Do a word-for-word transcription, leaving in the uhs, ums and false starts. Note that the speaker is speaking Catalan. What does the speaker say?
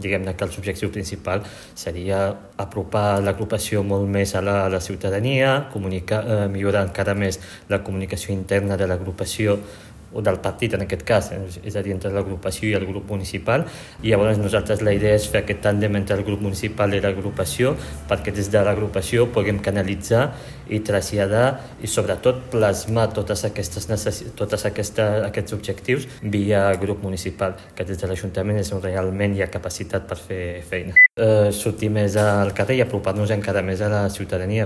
Diguem-ne que l'objectiu principal seria apropar l'agrupació molt més a la, a la ciutadania, comunicar, eh, millorar encara més la comunicació interna de l'agrupació o del partit en aquest cas, és a dir, entre l'agrupació i el grup municipal, i llavors nosaltres la idea és fer aquest tàndem entre el grup municipal i l'agrupació perquè des de l'agrupació puguem canalitzar i traslladar i sobretot plasmar totes aquestes necess... totes aquesta, aquests objectius via grup municipal, que des de l'Ajuntament és on realment hi ha capacitat per fer feina. Eh, sortir més al carrer i apropar-nos encara més a la ciutadania.